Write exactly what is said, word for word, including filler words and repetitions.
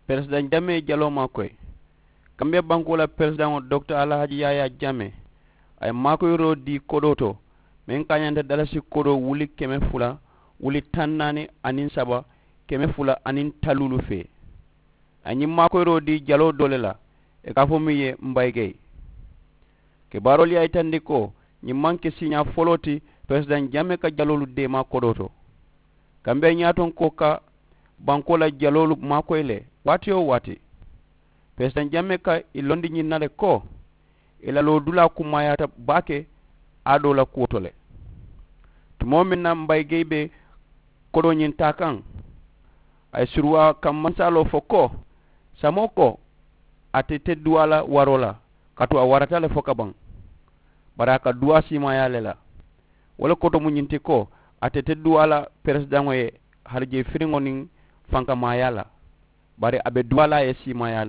Peresidaŋ jamee jaloo maakoyi. Kambiya bankoo la peresidaŋo dokita alahaaji yaayaa jamee a ye maakoyiroo dii kodoo to meŋ kaañanta dalasi kodoo wuli keme fula wuli taŋ naani aniŋ saba keme fula aniŋ taluulu fee. A ye ñiŋ maakoyiroo dii jaloo doo le la i ka a fo miŋ ye mbayigey. Kibaaroolu ye a yitandi ko ñiŋ maŋ ke siiñaa foloo ti peresidaŋ jamee ka jaloolu deemaa kodoo to. Kambiya ñaatonkoo ka bankoo la jaloolu maakoyi le waati-wo-waati. Peresidaŋ jamee ka i londi ñiŋ na le ko i la loodulaa kummaayaata baake aadoo la kuwo to le. Tumoo meŋ na mbayigey be kodoo ñiŋ taa kaŋ a ye suruwaa kaŋ mansaaloo fo ko samoo ko a te te duwaa la waroo la kaatu a warata le fo ka baŋ. Bari a ka duwaa siimaayaa le la. Wo le koto mu ñiŋ ti ko a te te duwaa la peresidaŋo ye harijee firiŋo niŋ fankamaayaa la. Bari a be duwaa la a ye siimaayaa le.